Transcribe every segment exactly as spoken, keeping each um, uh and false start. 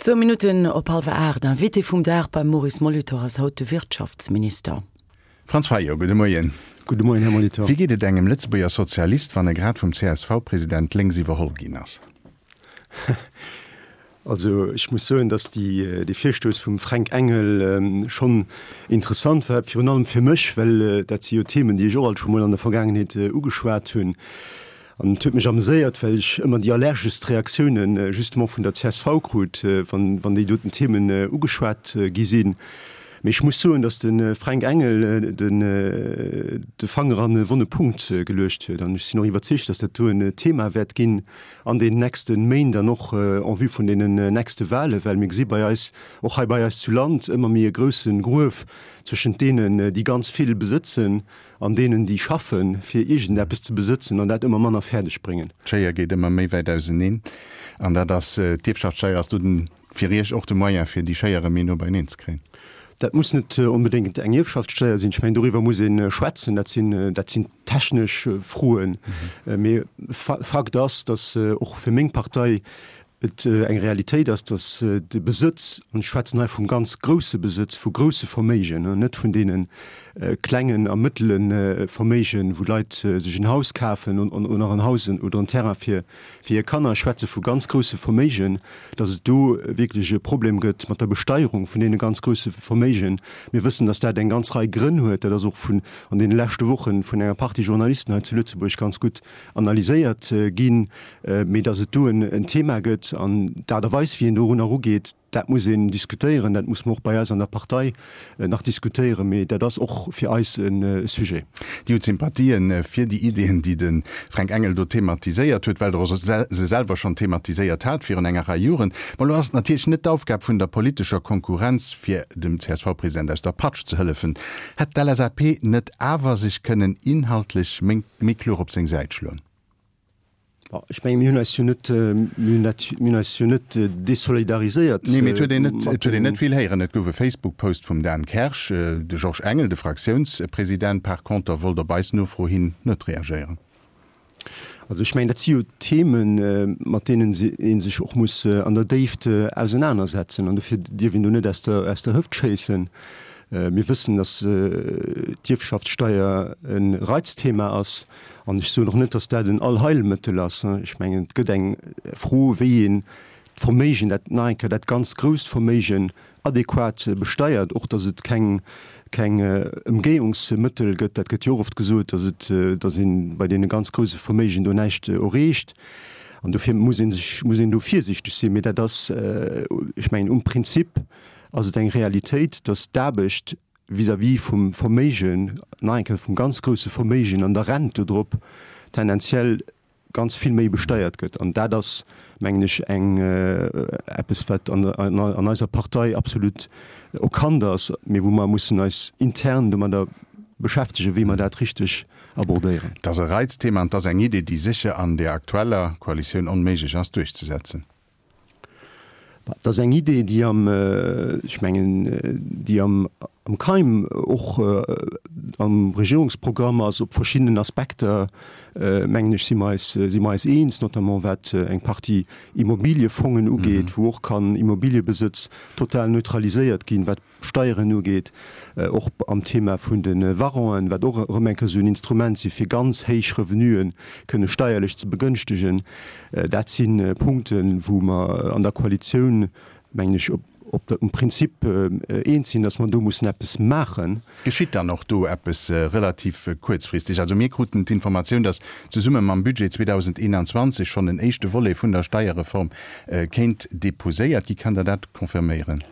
Zwou Minutten op hallwer aacht, Invité vum Dag beim Maurice Molitor ass haut de Wirtschaftsminister. Franz Fayot, gudde Moien. Gudde Moien, Här Molitor. Wéi geet et engem Lëtzebuerger Sozialist, wann e grad vum C S V-President lénks iwwerholl ginn ass? Also ech muss soen, datt déi, dee Virstouss vum Fränk Engel schonn interessant war, virun allem fir mech, well dat si jo Themen, déi ech och alt scho mol an der Vergaangenheet ugeschwat hunn. An et huet mech ameséiert, well ech ëmmer déi allergeschst Reaktiounen justement vun der C S V krut, wann, wann déi doten Themen ugeschwat gi sinn. Mee ech muss soen, datt de Fränk Engel den, de Fanger an e wonne Punkt geluecht huet. An ech sinn och iwwerzeegt, datt dat do en Thema wäert ginn an deenen nächste Méint an och en vue vun deenen nächste Wahlen, well mir gesi bei eis, och hei bei eis zu Land, ëmmer méi e grousse Gruef zwëschent deenen, déi ganz vill besëtzen, an deenen, déi schaffen, fir iergendeppes ze besëtzen an dat ëmmer manner fäerdeg bréngen. D'Schéier geet ëmmer méi wäit auseneen an dat ass, d'Ierfschaftssteier ass do den, fir Iech och de Moyen, fir déi Schéier erëm méi no beieneen ze kréien. Dat muss net onbedéngt eng Ierfschaftssteier sinn. Ech mengen, doriwwer muss ee schwätzen. Dat sinn, dat sinn technesch Froen. Mee Fakt ass, datt och fir meng Partei et eng Realitéit ass, datt de Besëtz, an ech schwätzen hei vum ganz grousse Besëtz, vu grousse Verméigen, net vun deene klengen a mëttele Verméigen, wou Leit sech en Haus kafen oder en Haus oder en Terrain fir hir Kanner, ech schwätze vu ganz grousse Verméigen, datt et do wierklech e Problem gëtt mat der Besteierung vun deene ganz grousse Verméigen. Mir wëssen, datt dat eng ganz Rei Grënn huet. Dat ass och vun an deene leschte Woche vun enger Partie Journalisten hei zu Lëtzebuerg ganz gutt analyséiert ginn, mee datt et do en Thema gëtt an d'Aart a Weis, wéi een dorunner erugeet, dat muss een diskutéieren. Dat muss mer och bei eis an der Partei nach diskutéieren, mee dat ass och fir eis e Sujet. Dir hutt Sympathien fir déi Ideeën, déi de Fränk Engel do thematiséiert huet, well Der se selwer schonn thematiséiert hat virun enger Rei Joren. Ma elo ass et natierlech net d'Aufgab vun der politescher Konkurrenz, fir dem C S V-President aus der Patsch ze hëllefen. Hätt d'L S A P net awer sech kënnen inhaltlech méi kloer op seng Säit schloen? Ech menge mir hunn eis jo net, mir hunn dat, mir hunn eis jo net desolidariséiert. Nee, mee et huet een net, et huet een net vill héieren. Et gouf e Facebook-Post vum Dan Kersch. De Georges Engel, de Fraktiounspresident, par conter wollt op eis Nofro hin net reagéieren. Also ech mengen, dat si jo Themen, mat deenen ee sech och muss an der Déift ausenanersetzen. An dofir dierf een do net aus der, aus der Hëft schéissen. Mir wëssen, dass d'Ierfschaftssteier e Reizthema ass. An ech soen och net, dass dat en Allheilmëttel ass. Ech mengen, et gëtt eng Fro, wéi een d'Verméigen, dat nach eng Kéier dat ganz grousst Verméigen adequat besteiert, och dass et keng keng Ëmgéiungsmëttel gëtt. Dat gëtt jo och oft gesot, dass et, dass ee bei deene ganz grouse Verméigen do näischt erreecht. An dofir muss ee sech, muss een do virsiichteg sinn. Mee dat ass, ech mengen, um Prinzip ass et eng Realitéit, dass d'Aarbecht vis-à-vis vum Verméigen, nach eng Kéier vum ganz grouse Verméigen an der Rent dodrop, tendenziell ganz vill méi besteiert gëtt. An dat ass, mengen ech, eng eppes, wat an an eiser Partei absolut erkannt ass, mee wou mer mussen eis intern domadder beschäftegen, wéi mer dat richteg abordéieren. Et ass e Reizthema an et ass eng Idee, déi sécher an der aktueller Koalitioun onméiglech ass duerchzesetzen. Dat ass eng Idee, déi am, ech mengen, déi am am Keim och am Regierungsprogramm ass. Op verschiddenen Aspekter, mengen ech, si mer eis, si mer eis eens, notamment wat eng Partie Immobiliefongen ugeet, wou och kann Immobiliebesëtz total neutraliséiert ginn, wat d'Steieren ugeet, och am Thema vun de Warranten, wat och erëm eng Kéier esou en Instrument si fir ganz héich Revenuen kënne steierlech ze begënschtegen. Dat si Punkten, wou mer an der Koalitioun, mengen ech, op um Prinzip eens sinn, datt mer do mussen eppes maachen. Geschitt dann och do eppes relativ kuerzfristeg? Also mir kruten d'Informatioun, datt zesumme mam Budget zweedausendeenanzwanzeg schonn en éischte Volet vun der Steierreform kéint deposéiert gi. Kann Der dat confirméieren?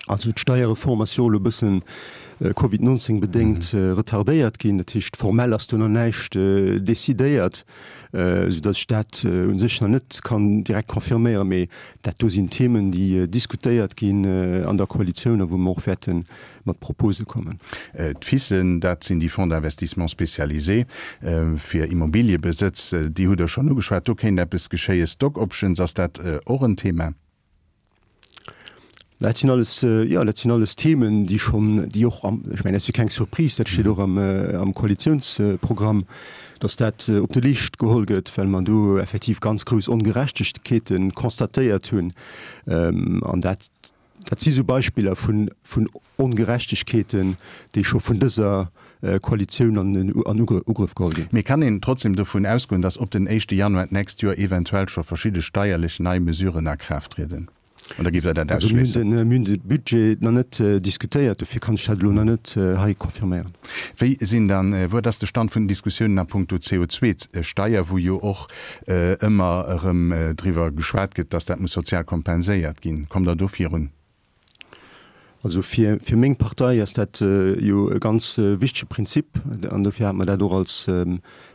Also d'Steierreform ass jo elo e bëssen Covid nonzéng bedéngt retardéiert ginn. Dat heescht, formell ass do nach näischt decidéiert, soudatt ech dat u sech nach net kann direkt confirméieren. Mee dat do sinn Themen, déi diskutéiert ginn an der Koalitioun a wou mer och wäerte mat Propose kommen. D'FISen, dat sinn déi Fonds d'investissement spécialisés fir Immobiliëbesëtz, déi hutt Der schonn ugeschwat. Do kéint eppes geschéien. Stock Options, ass dat och en Thema? Dat sinn alles, jo, dat sinn alles Themen, déi schonn, déi och am, ech mengen, dat ass jo keng Surprise, dat steet och am, am Koalitionsprogramm, dass dat op de Leescht geholl gëtt, well mer do effektiv ganz grouss Ongerechtegkeete constatéiert hunn. An dat, dat si sou Beispiller vun, vun Ongerechtegkeeten, déi scho vun dëser Koalitioun an den, an Ugrëff geholl ginn. Mee kann een trotzdem dovun ausgoen, dass op den éischte Januar d'nächst Joer eventuell scho verschidde steierlech nei Mesuren a Kraaft trieden? Oder géift Der dat ausschléissen? Mir hunn de Budget nach net diskutéiert, dofir kann ech dat elo nach net hei confirméieren. Wéi sinn dann, wat ass de Stand vun den Diskussiounen a puncto C O zwei Steier, wou jo och ëmmer erëm driwwer geschwat gëtt, dass dat muss sozial kompenséiert ginn? Kommt Der do virun? Also fir, fir meng Partei ass dat jo e ganz wichtege Prinzip an dofir hat mer dat och als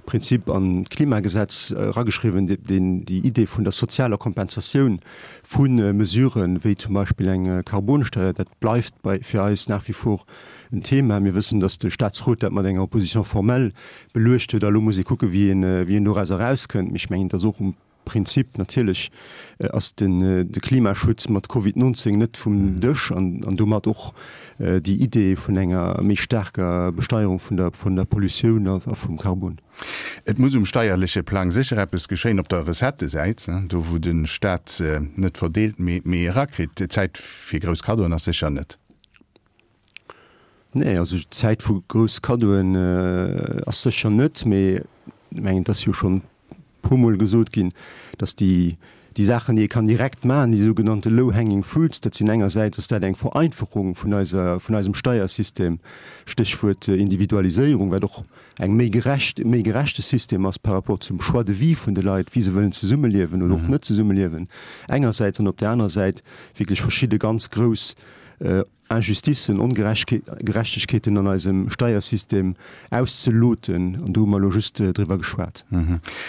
Prinzip an d'Klimagesetz erageschriwwen, deen déi Idee vun der sozialer Kompensatioun vu Mesuren, wéi zum Beispill eng Carbonsteuer, dat bleift bei fir eis nach wie vor en Thema. Mir wëssen, datt de Statsrot dat mat enger Opposition formelle beluecht huet a lo muss ee kucke wéi een, wéi een doraus erauskënnt. Mee ech mengen, et ass och um Prinzip, natierlech ass den de Klimaschutz mat Covid neunzehn net vum Dësch an an domat och déi Idee vun enger méi staarker Besteierung vun der vun der Pollutioun a vum Karbon. Et muss um steierleche Plang sécher eppes geschéien op der Recettesäit, do wou de Staat net verdeelt, mee mee erakritt. D'Zäit fir grouss Kaddoen ass sécher net. Nee, also d'Zäit vu grouss Kaddoen ass sécher net, mee ech mengen, et ass jo schonn puer Mol gesot ginn, dass déi, déi Saachen, déi ee kann direkt maachen, déi sougenannte low-hanging fruits, dat sinn engersäits ass dat eng Vereinfachung vun eiser, vun eisem Steiersystem, Stéchwuert Individualiséierung, wat och eng méi gerecht, méi gerechte System ass par rapport zum Choix de vie vun de Leit, wéi se wëllen zesummeliewen oder och net zesummeliewen, engersäits, an op där anerer Säit wierklech verschidde ganz grouss Injusticen, Ongerechtegkeeten an eisem Steiersystem auszeloten, an do hu mer elo just driwwer geschwat.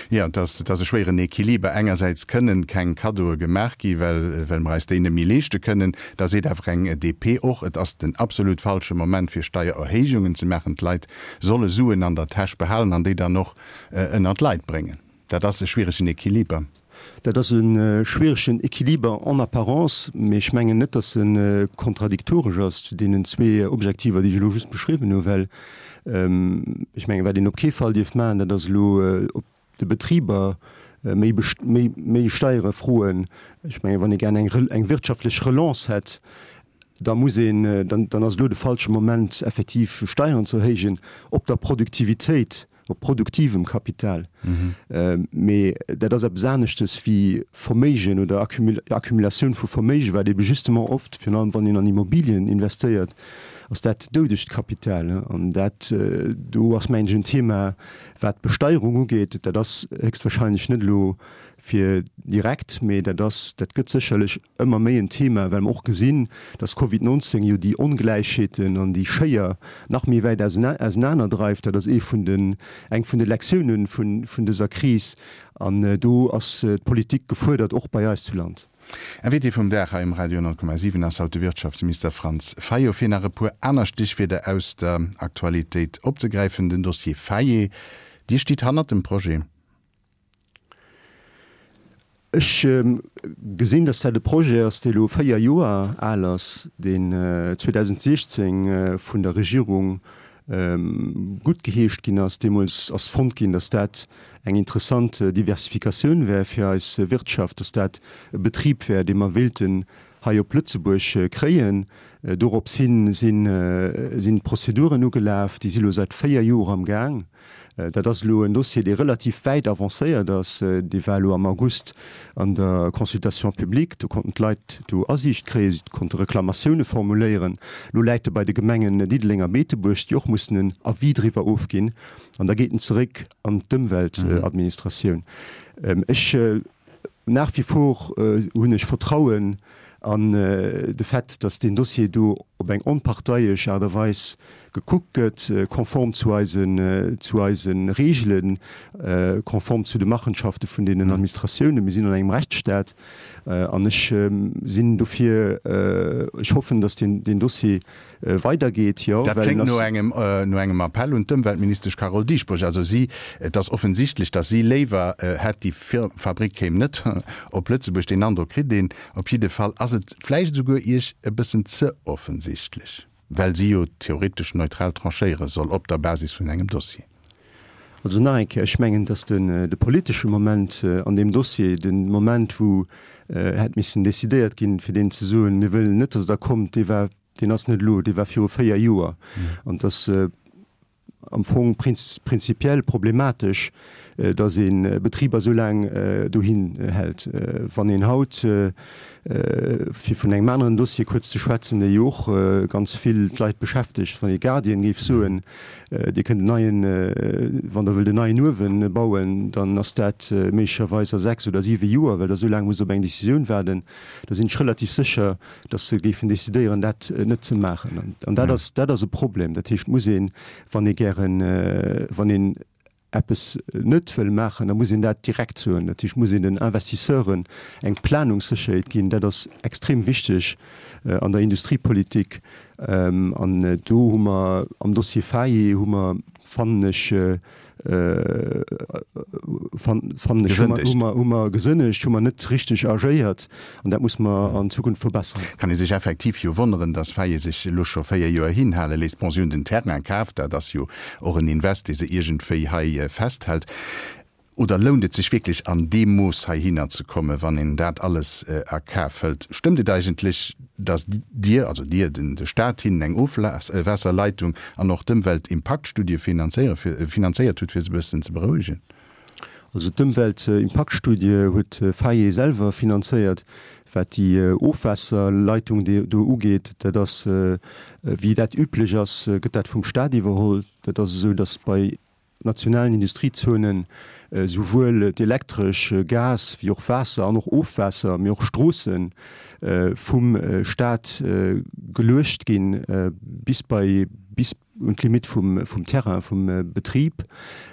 Jo, et ass, et ass e schwéieren Equiliber. Engersäits kënnen keng Kaddoe gemaach gi well, well mer eis déi net méi leeschte kënnen. Da seet awer eng D P och, et ass den absolut falsche Moment fir Steiererhéijungen ze maachen. D'Leit solle Suen an der Täsch behalen an déi dann och ënnert d'Leit bréngen. Dat ass e schwieregen Equiliber. Dat ass e schwieregen Equiliber en apparence, mee ech mengen net, datt e kontradiktoresch ass zu deenen zwee Objektiver, déi ech elo just beschriwwen hunn, well ech mengen, wat een op kee Fall dierf maachen, dat ass elo op de Betriber méi, méi, méi Steiere froen. Ech mengen, wann ee gär eng, eng wirtschaftlech Relance hätt, da muss een, dann, dann ass elo de falsche Moment, effektiv Steieren ze erhéijen op der Produktivitéit, op produktivem Kapital. Mee dat ass eppes aneschtes wéi Verméigen oder Accumulatioun vu Verméigen, wat ebe justement oft, virun allem wann een an Immobilien investéiert, ass dat doudegt Kapital. An dat do ass, mengen ech, en Thema, wat d'Besteierung ugeet. Dat ass héchstwahrscheinlech net elo fir direkt, mee dat ass, dat gëtt sécherlech ëmmer méi en Thema, well mer och gesinn, dass Covid neunzehn jo déi Ongläichheeten an déi Schéier nach méi wäit ausenaner dreift. Dat ass ee vun den, eng vun de Lektiounen vun, vun dëser Kris. An do ass d'Politik gefuerdert, och bei eis zu Land. Invité vum Dag hei um Radio honnert Komma siwen ass haut de Wirtschaftsminister Franz Fayot. Fir nach e puer aner Stichwierder aus der Aktualitéit opzegräifen, den Dossier Fayot, Dir stitt hannert dem Projet. Ech gesinn, dass dat e Projet ass, dee elo véier Joer al ass, deen zweedausendsechzehn vun der Regierung guttgeheescht ginn ass. Deemools ass fonnt ginn, dass dat eng interessant Diversifikatioun wär fir eis Wirtschaft, dass dat e Betrib wär, dee mer wéilten hei op Lëtzebuerg kréien. Dorops hin sinn d'Prozeduren ugelaf, déi si elo säit véier Joer am Gaang. Dat ass elo en Dossier, dee relativ wäit avancéiert ass. Dee war elo am August an der Consultation publique. Do konnten d'Leit do Asiicht kréien, si konnte Reklamatioune formuléieren. Elo läit e bei de Gemengen Diddeleng a Beetebuerg, déi och mussen en Avis driwwer ofginn. An da geet en zeréck an d'Ëmweltadministratioun. Ech, nach wie vor hunn ech Vertrauen an de Fait, datt deen Dossier do op eng onparteiesch Aart a Weis gekuckt gëtt, konform zu eisen, zu eise Reegelen, konform zu de Machenschafte vun deenen Administratiounen. Mir sinn an engem Rechtsstaat an ech sinn dofir, ech hoffen, datt deen, deen Dossier weidergeet, jo, Dat well kléngt en no ass. engem, no engem Appell un d'Ëmweltministesch Carole Dieschbourg. Also si, et ass offensichtlech, datt si léiwer hätt, déi Fabrick kéim net op Lëtzebuerg. Deen Androck kritt een. Op jidde Fall ass et vläicht esouguer Iech e bëssen ze offensichtlech, well si jo theoretesch neutral tranchéiere soll op der Basis vun engem Dossier. Also nach eng Kéier, ech mengen, datt den, de politesche Moment an deem Dossier, de Moment, wou hätt missen decidéiert ginn, fir deenen ze soen, mir wëllen net, datt Der kommt, dee war, deen ass net elo, dee war viru véier Joer. An et ass am Fong prinzipiell problematesch, datt ee Betriber esou laang dohin hält. Wann een haut, fir vun engem aneren Dossier kuerz ze schwätzen, dee jo och ganz vill d'Leit beschäftegt, wann ee Guardian géif soen, Dir kënnt en neien, wann Der wëllt en neien Uewen bauen, dann ass dat méiglecherweis a sechs oder siwe Joer, well Der esou laang musst op eng Décisioun waarden, da sinn ech relativ sécher, datt se géifen decidéieren, dat net ze maachen. An dat ass, dat ass e Problem. Dat heescht, et muss een, wann ee gären, wann een eppes net wëll maachen, da muss een dat direkt soen. Dat heescht, et muss een den Investisseuren eng Planungssécherheet ginn. Dat ass extrem wichteg an der Industriepolitik. An do hu mer am Dossier Faye hu mer, fannen ech, fannen ech, hu mer, hu mer gesënnegt, hu mer net richteg agéiert. An dat muss mer an Zukunft verbessern. Kann ee sech effektiv jo wonneren, dass Faye sech elo scho véier Joer hinhale léisst. Bon, si hunn den Terrain kaf, dat ass jo och en Invest, dee se iergendwéi hei festhält. Oder lount et sech wierklech an deem Mooss heihinner ze kommen, wann een dat alles a Kaf hëlt? Stëmmt et eigentlech, datt Dir, also Dir, den de Staat hinnen eng Ofwaasserleitung an och d'Ëmweltimpaktstudie finanzéiert hutt, fir se e bëssen ze berouegen? Also d'Ëmweltimpaktstudie huet Faye selwer finanzéiert. Wat déi Ofwaasserleitung do ugeet, dat ass, wéi dat üblech ass, gëtt dat vum Staat iwwerholl. Dat ass esou, datt bei nationalen Industriezonen souwuel d'Elektresch, Gas wéi och Waasser an och Ofwaasser, mee och Stroosse vum Staat geluecht ginn, bis bei, bis un d'Limitt vum, vum Terrain, vum Betrib.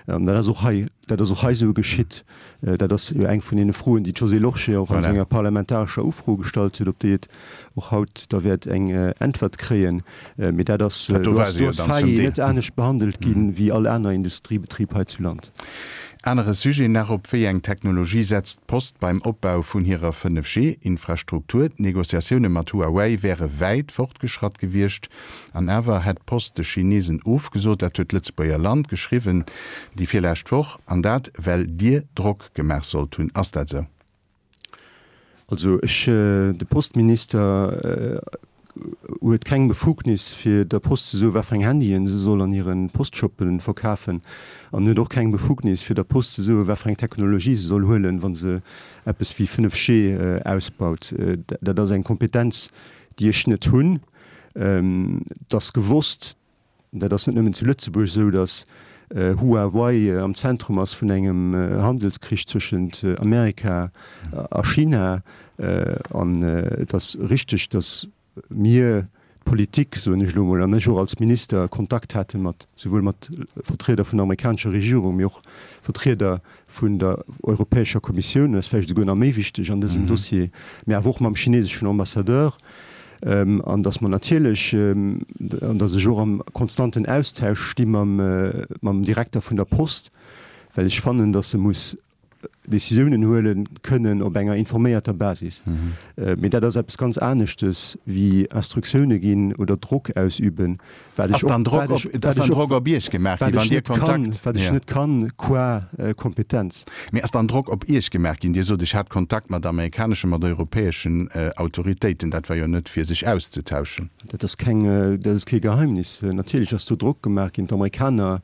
An dat ass och hei, dat ass och hei esou geschitt. Dat ass jo eng vun deene Froen, déi d'Josée Lorsché och a senger parlamentarescher Ufro gestallt huet, op déi et och haut da wäert eng Äntwert kréien. Mee dat ass, do ass Faye net anescht behandelt gi wéi all aner Industriebetrib hei zu Land. Anere Sujet nach, Op wéi eng Technologie setzt d'Post beim Opbau vun hirer fënnef G-Infrastruktur? D'Negociatioune mat Huawei wäre wäit fortgeschratt gewiescht, an awer hätt d'Post de Chinesen ofgesot. Dat huet d'Lëtzebuerger Land geschriwwen déi virlescht Woch, an dat well Dir Drock gemaach sollt hunn. Ass dat esou? Also ech, de Postminister huet keng Befugnis fir der Post ze soen, wat fir eng Handyen se soll an hire Postshoppe verkafen, an huet och keng Befugnis fir der Post ze soen, wat fir eng Technologie se soll huelen, wa se eppes wéi fënnef G ausbaut. Dat ass eng Kompetenz, déi ech net hunn. Et ass gewosst, dat ass net nëmmen zu Lëtzebuerg esou, datt Huawei am Zentrum ass vun engem Handelskrich zwëschent Amerika a China. An et ass richteg, datt mir, d'Politik, soen ech elo emol, an ech och als Minister, Kontakt hate mat, souwuel mat Vertrieder vun der amerikanescher Regierung, mee och Vertrieder vun der Europäescher Kommissioun, dat ass vläicht esouguer nach méi wichteg an dësem Dossier, mee awer och mam chineseschen Ambassadeur. An datt mer natierlech, an datt ech och am konstanten Austausch sti mam, mam Direkter vun der Post, well ech fannen, datt e muss Décisiounen huele kënnen op enger informéierter Basis. Mee dat ass eppes ganz aneschtes wéi Instruktioune ginn oder Drock ausüben, wat ech och, wat ech, wat ech och, wat ech net kann, wat ech net kann qua Kompetenz. Mee ass dann Drock op Iech gemaach ginn? Dir sot, ech hat Kontakt mat amerikaneschen, mat europäeschen Autoritéiten. Dat war jo net fir sech auszetauschen. Dat ass keng, dat ass kee Geheimnis. Natierlech ass do Drock gemaach ginn. D'Amerikaner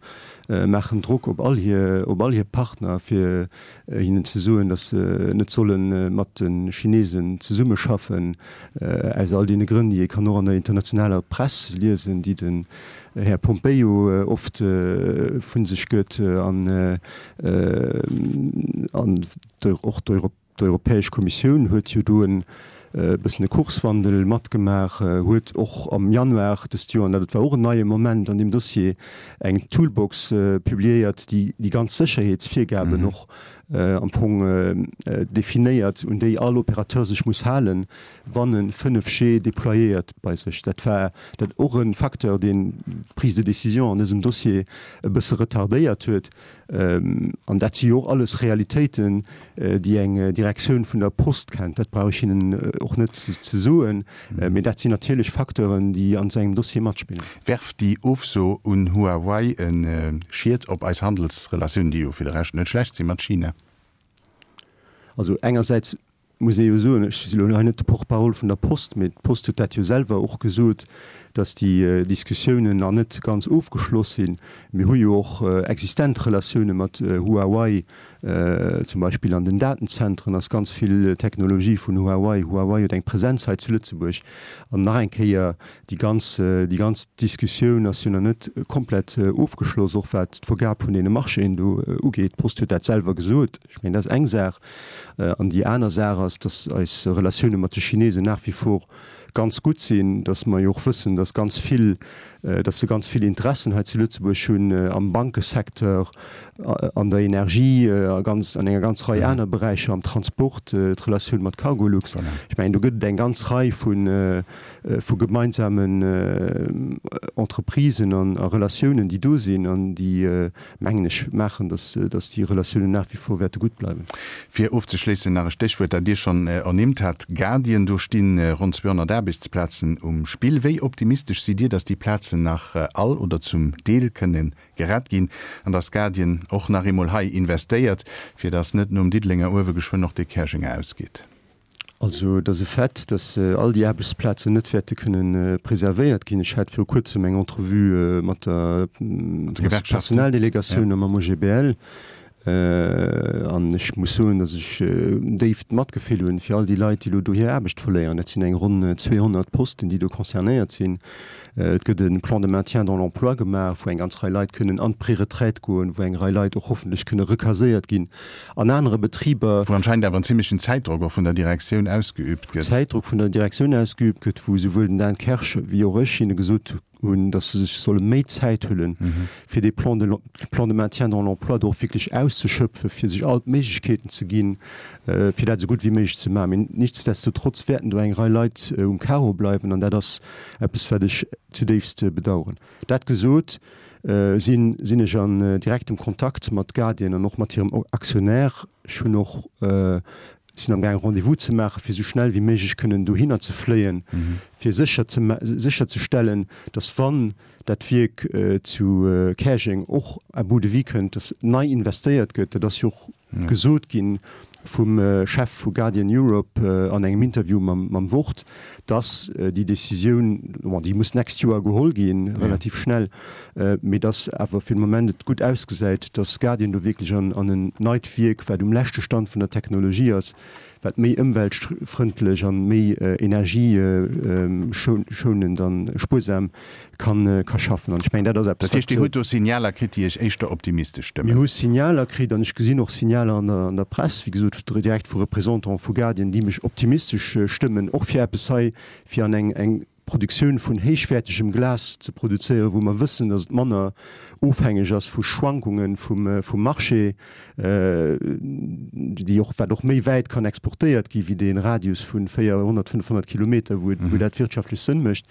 maachen Drock op all hir, op all hir Partner, fir hinnen ze soen, datt se net solle mat de Chinesen zesummeschaffen, aus all deene Grënn, déi ee kann och an der internationaler Press liesen, déi den Här Pompeo oft vu sech gëtt an och d'Europäesch Kommissioun huet jo do en e bëssen e Kurswandel matgemaach, huet och am Januar dëst Joer, an dat war och en neie Moment an deem Dossier, eng Toolbox publiéiert, déi déi ganz Sécherheetsvirgaben och am Fong definéiert, un déi all Opérateur sech muss halen, wann e fënnef G déployéiert bei sech. Dat war dat och e Facteur, deen d'Prise de décision an dësem Dossier e bësse retardéiert huet. An dat si jo och alles Realitéiten, déi eng Direktioun vun der Post kennt. Dat brauch ech hinnen och net ze soen. Mee dat sinn natierlech Facteuren, déi an esou engem Dossier matspillen. Werft déi Ofso un Huawei e Schiet op eis Handelsrelatiounen, déi jo fir de Rescht net schlecht si mat China? Also engersäits muss ee jo soen, ech si lo hei net de Porte-parole vun der Post, mee d'Post huet dat jo selwer och gesot, datt déi Diskussiounen nach net ganz ofgeschloss sinn. Mir hu jo och existent Relatioune mat Huawei, zum Beispill an den Datenzentren ass ganz vill Technologie vun Huawei. Huawei huet eng Presenz hei zu Lëtzebuerg. An nach eng Kéier, déi ganz, déi ganz Diskussioun ass jo nach net komplett ofgeschloss, och wat d'Vergab vun deene Marchéen do ugeet. D'Post huet dat selwer gesot. Ech mengen, dat ass eng Saach. An déi aner Saach ass, datt eis Relatioune mat de Chinesen nach wie vor ganz gutt sinn, datt mer jo och wëssen, datt ganz vill, datt se ganz vill Interessen hei zu Lëtzebuerg hunn am Bankesecteur, an der Energie, a ganz, an enger ganz Rei aner Beräicher, am Transport, d'Relatioun mat Cargolux. Ech mengen, do gëtt et eng ganz Rei vu vu gemeinsamen Entreprisen an a Relatiounen, déi do sinn an déi, mengen ech, maachen, datt datt déi Relatiounen nach wie vor wäerte gutt bleiwen. Fir ofzeschléissen nach e Stéchwuert, dat Dir schonn ernimmt hat, Guardian. Do sti ronn zweehonnert Aarbechtsplazen um Spill. Wéi optimistesch sidd Dir, datt déi Plazen nach all oder zum Deel kënne gerett ginn an datt Guardian och nach eemol hei investéiert, fir datt net nom Diddelenger Uewe geschwënn och dee Käerjenger ausgeet? Also et ass e Fait, datt all déi Aarbechtsplazen net wäerte kënne preservéiert ginn. Ech hat viru Kuerzem eng Entrevue mat der Personaldelegatioun a mam O G B L. An ech muss soen, datt ech déift Matgefill hunn fir all déi Leit, déi elo do hir Aarbecht verléieren. Dat sinn eng ronn zweehonnert Posten, déi do concernéiert sinn. Et gëtt e Plan de maintien dans l'emploi gemaach, wou eng ganz Rei Leit kënnen an d'Preretraite goen, wou eng Rei Leit och hoffentlech kënne recaséiert ginn an anere Betriber. Wou anscheinend awer en zimlechen Zäitdrock och vun der Direktioun ausgeübt gëtt. Zäitdrock vun der Direktioun ausgeübt gëtt, wou esouwuel den Dan Kersch wéi och ech hinne gesot hunn, dass se sech solle méi Zäit huelen, fir dee Plan de Plan de maintien dans l'emploi do och wierklech auszeschöpfen, fir sech all d'Méiglechkeeten ze ginn, fir dat esou gutt wéi méiglech ze maachen. Mee nichtsdestotrotz wäerten do eng Rei Leit um Carreau bleiwen, an dat ass eppes, wat ech zudéifst bedauern. Dat gesot, sinn sinn ech an direktem Kontakt mat Guardian an och mat hirem Aktionär. Ech hunn och sinn am gaang Rendez-vous ze maachen, fir esou schnell wéi méiglech kënnen dohinner ze fléien, fir sécher ze sécher ze stellen, datt wann dat Wierk zu Käerjeng och à bout de vie kënnt, datt nei investéiert gëtt. Dat ass jo och gesot gi vum Chef vu Guardian Europe an engem Interview mam mam Wort, datt déi Décisioun, bon, déi muss d'nächst Joer geholl ginn, relativ schnell, mee datt awer fir de Moment et gutt ausgesäit, datt Guardian do wierklech an an en neit Wierk, wat um leschte Stand vun der Technologie ass, wat méi ëmweltfrëndlech an méi energieschounend an spuersam kann ka schaffen. An ech mengen, dat ass eppes, wat. Dat heescht, Dir hutt do Signaler kritt, déi Iech éischter optimistesch stëmmen? Mir hu Signaler kritt an ech gesinn och Signaler an der an der Press, wéi gesot, direkt vu Représentante vu Guardian, déi mech optimistesch stëmmen, och fir eppes hei, fir an eng eng Produktioun vun héichwäertegem Glas ze produzéieren, wou mer wëssen, datt et manner ofhängeg ass vu Schwankunge vum vum Marché, déi och, wat och méi wäit kann exportéiert gi wéi dee Radius vu véierhonnert, fënnfhonnert Kilometer, wou et, wou dat wirtschaftlech Sënn mécht.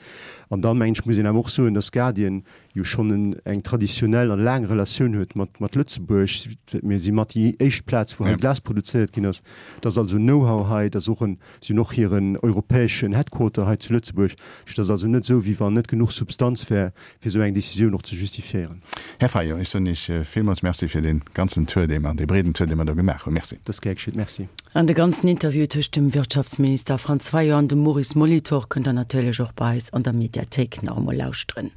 An dann, mengen ech, muss een awer och soen, datt Guardian jo schonn eng traditionell an laang Relatioun huet mat mat Lëtzebuerg. Mir si mat déi éischt Plaz, wou hei Glas produzéiert ginn ass. Et ass also Know-how hei, et ass och en, si hunn och hiren europäeschen Headquarter hei zu Lëtzebuerg. Et ass also net esou, wéi wann net genuch Substanz wär, fir esou eng Décisioun och ze justifiéieren. Här Fayot, ech soen Iech villmools Merci fir dee ganzen Tour, dee mer, dee breeden Tour, dee mer do gemaach hunn. Merci. Dat ass gär geschitt. Merci. An de ganzen Interview tëscht dem Wirtschaftsminister Franz Fayot an dem Maurice Molitor kënnt der natierlech och bei eis an der Mediathéik nach emol lauschteren.